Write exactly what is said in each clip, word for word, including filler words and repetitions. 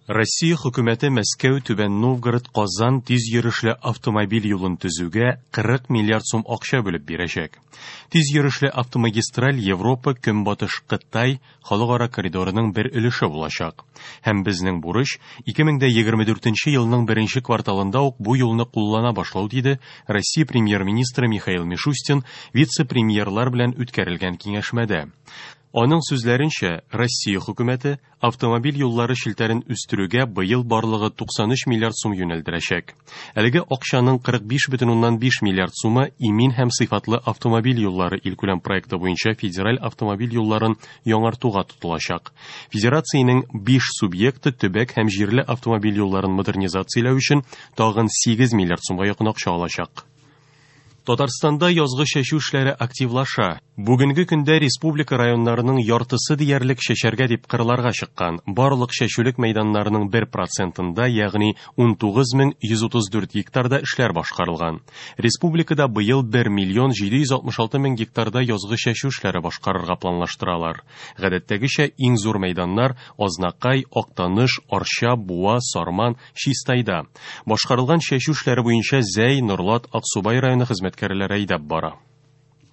Россия хөкүмәте Мәскәү, Түбән Новгород, Казан тиз йөрешле автомобиль юлын төзүгә кырык миллиард сум акча бүлеп бирәчәк. Тиз йөрешле автомагистраль Европа, Көнбатыш Кытай халыкара коридорының бер өлеше булачак. Һәм безнең бурыч ике мең дә егерме дүртенче елның беренче кварталында ук бу юлны куллана башлау, диде Россия премьер-министры Михаил Мишустин вице-премьерлар белән үткәрелгән киңәшмәдә. Аның сүзләренчә, Россия хөкүмәте автомобиль юллары челтәрен үстерүгә быел барлыгы туксан өч миллиард сум юнәлдерәчәк. Әлеге акчаның кырык биш бөтен уннан биш миллиард сумы имин һәм сыйфатлы автомобиль юллары илкүләм проекты буенча федераль автомобиль юлларын яңартуга тотылачак. Федерациянең биш субъекты төбәк һәм җирле автомобиль юлларын модернизацияләү өчен тагын сигез миллиард сумга якын акча алачак. Татарстанда язгы чәчү эшләре активлаша. Бүгенге көндә республика районнарының яртысы диярлек чәчәргә дип кырларга чыккан. Барлык чәчүлек мәйданнарының бер процентында, ягъни ун тугыз мең йөз утыз дүрт гектарда эшләр башкарылган. Республикада быел бер миллион җиде йөз алтмыш алты мең гектарда язгы чәчү эшләре башкарырга планлаштыралар. Гадәттәгечә иң зур мәйданнар Азнакай, Актаныш, Арча, Буа, Сарман, Чистайда. Башкарылган чәчү эшләре буенча Зәй, Норлат, Аксубай районы хезмәткәрләре әйдәп бара.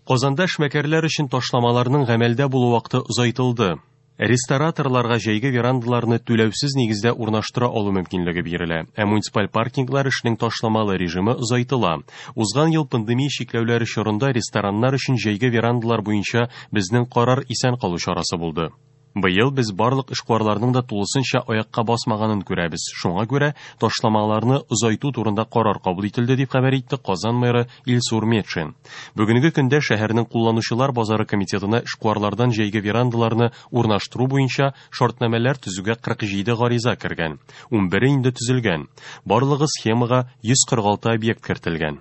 Казанда эшмәкәрләр өчен ташламаларның гамәлдә булу вакыты озайтылды. Рестораторларга җәйге верандаларны түләүсез нигездә урнаштыра алу мөмкинлеге бирелә, ә муниципаль паркинглар эшенең ташламалы режимы озайтыла. Узган ел пандемия чикләүләре чорында рестораннар өчен җәйге верандалар буенча безнең карар исән калу чарасы булды. Быел без барлык эшкуарларның да тулысынча аякка басмаганын күрәбез. Шуңа күрә ташламаларны озайту турында карар кабул ителде, дип хәбәр итте Казан мэры Илсур Метшин. Бүгенге көндә шәһәрнең кулланучылар базары комитетына эшкуарлардан җәйге верандаларны урнаштыру буенча шартнамәләр төзүгә кырык җиде гариза кергән. Ун бере инде төзелгән. Барлыгы схемага йөз кырык алты объект кертелгән.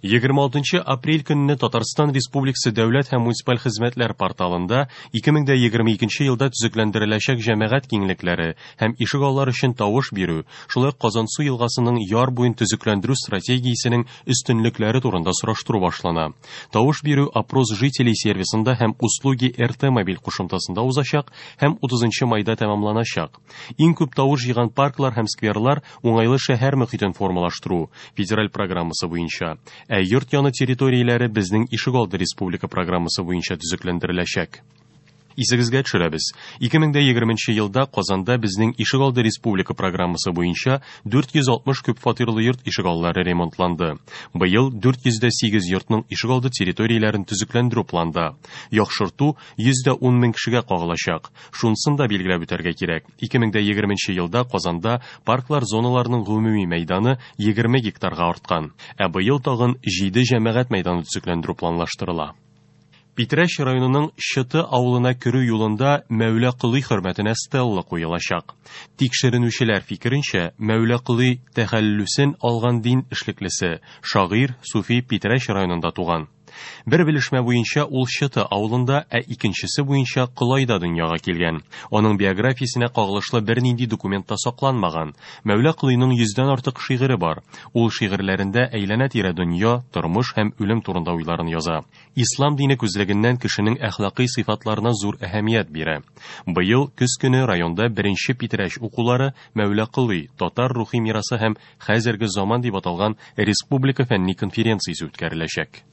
Егерме алтынчы апрель көнне Татарстан Республикасы Дәүләт һәм муниципаль хезмәтләр порталында ике мең дә егерме икенче елда төзекләндереләчәк җәмәгать киңлекләре һәм ишегаллар өчен тавыш бирү, шулай ук Казансу елгасының яр буен төзекләндерү стратегиясенең өстенлекләре турында сораштыру башлана. Тавыш бирү Опрос жителей сервисында һәм Услуги эр тэ мобиль кушымтасында узачак һәм утызынчы майда тәмамланачак. Иң күп тавыш җыйган парклар һәм скверлар уңайлы шәһәр мөхитен формалаштыру федераль программасы буенча, ә йорт яны территорияләре безнең ишегалды республика программасы буенча төзекләндереләчәк. Исегезгә төшерәбез. Ике мең дә егерменче елда Казанда безнең ишегалды республика программасы буенча дүрт йөз алтмыш күп фатирлы йорт ишегаллары ремонтланды. Быел дүрт йөз дә сигез йортның ишегалды территорияләрен төзекләндерү планда. Яхшырту йөз дә ун мең кешегә кагылачак. Шунысын да билгеләп үтәргә кирәк. Ике мең дә егерменче елда Казанда парклар зоналарының гомуми мәйданы егерме гектарга арткан. Ә быел тагын җиде җәмәгать мәйданы төзекләндерү планлаштырыла. Питрәч районының Чыты авылына керү юлында Мәүлә Колый хөрмәтенә стелла куелачак. Тикшеренүчеләр фикеренчә, Мәүлә Колый тәхәллүсен алган дин эшлеклесе, шагыйрь Суфи Питрәч районында туган. Бер белешмә буенча ул Чыты авылында, ә икенчесе буенча Колайда дөньяга килгән. Аның биографиясенә кагылышлы бернинди документ та сакланмаган. Мәүлә Колыйның йөздән артык шигыре бар. Ул шигырьләрендә әйләнә-тирә дөнья, тормыш һәм үлем турында уйларын яза. Ислам дине күзлегеннән кешенең әхлакый сыйфатларына зур әһәмият бирә. Быел көз көне районда беренче Питрәч укулары Мәүлә Колый, татар рухи мирасы һәм хәзерге заман дип аталган республика фәнни конференциясе үткәреләчәк.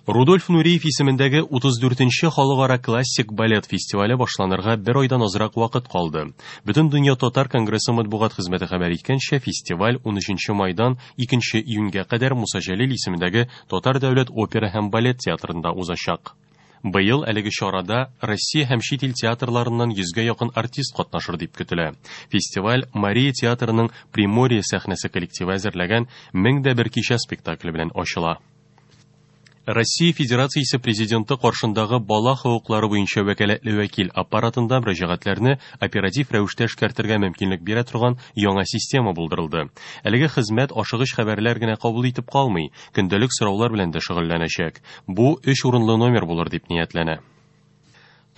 Рудольф Нуриев исемендәге утыз дүртенче халыкара классик балет фестивале башланырга бер айдан азрак вакыт калды. Бөтен дөнья татар конгрессы матбугат хезмәте хәбәр иткәнчә, фестиваль унөченче майдан икенче июньгә кадәр Муса Җәлил исемендәге Татар дәүләт опера һәм балет театрында узачак. Быел әлеге чарада Россия һәм чит ил театрларыннан йөзгә якын артист катнашыр дип көтелә. Фестиваль Мария театрының Приморье сәхнәсе коллективы әзерләгән Мең дә бер кичә спектакле белән ачыла. Россия Федерациясе президенты каршындагы бала хокуклары буенча вәкаләтле вәкил аппаратында мөрәҗәгатьләрне оператив рәвештә эшкәртергә мөмкинлек бирә торган яңа система булдырылды. Әлеге хезмәт ашыгыч хәбәрләр генә кабул итеп калмый, көндәлек сораулар белән дә шөгыльләнәчәк. Бу өч урынлы номер булыр дип ниятләнә.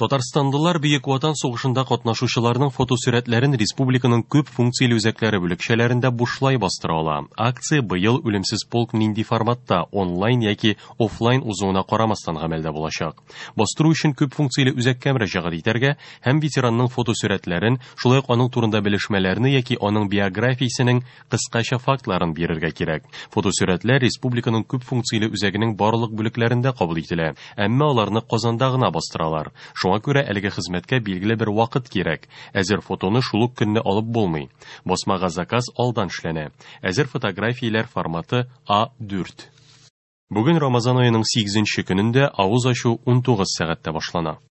Татарстанлылар Бөек Ватан сугышында катнашучыларның фотосурәтләрен республиканың күп функцияле үзәкләре бүлекчәләрендә бушлай бастыра ала. Акция быел Үлемсез полк нинди форматта, онлайн яки офлайн узуына карамастан гамәлдә булачак. Бастыру өчен күп функцияле үзәккә мөрәҗәгать итәргә һәм ветеранның фотосурәтләрен, шулай ук аның турында белешмәләрне яки аның биографиясенең кыскача фактларын бирергә кирәк. Фотосурәтләр республиканың күп функцияле үзәгенең барлык бүлекләрендә кабул ителә, әмма аларны Казанда гына бастыралар. Шуңа күрә әлеге хезмәткә билгеле бер вакыт кирәк. Әзер фотоны шул ук көнне алып булмый. Басмага заказ алдан эшләнә. Әзер фотографияләр форматы А дүрт. Бүген Рамазан аеның сигезенче көнендә авыз ачу унтугыз сәгатьтә башлана.